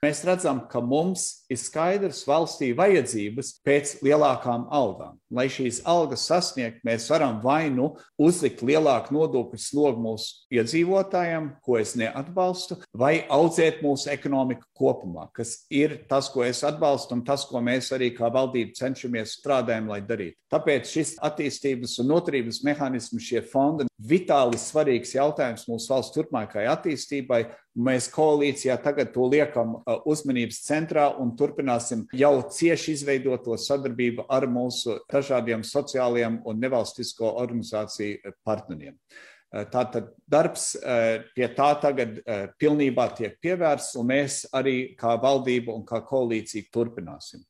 Mēs redzam, ka mums ir skaidrs valstī vajadzības pēc lielākām algām. Lai šīs algas sasniegt, mēs varam vai nu uzlikt lielāku nodokļu slogu mūsu iedzīvotājiem, ko es neatbalstu, vai audzēt mūsu ekonomiku kopumā, kas ir tas, ko es atbalstu un tas, ko mēs arī kā valdība cenšamies strādājam, lai darītu. Tāpēc šis attīstības un noturības mehānisms, šie fondi, vitāli svarīgs jautājums mūsu valsts turpmākajai attīstībai. Mēs koalīcijā tagad to liekam uzmanības centrā un turpināsim jau cieši izveidoto sadarbību ar mūsu dažādiem sociālajiem un nevalstisko organizāciju partneriem. Tātad darbs pie tā tagad pilnībā tiek pievērsts, un mēs arī kā valdība un kā koalīcija turpināsim.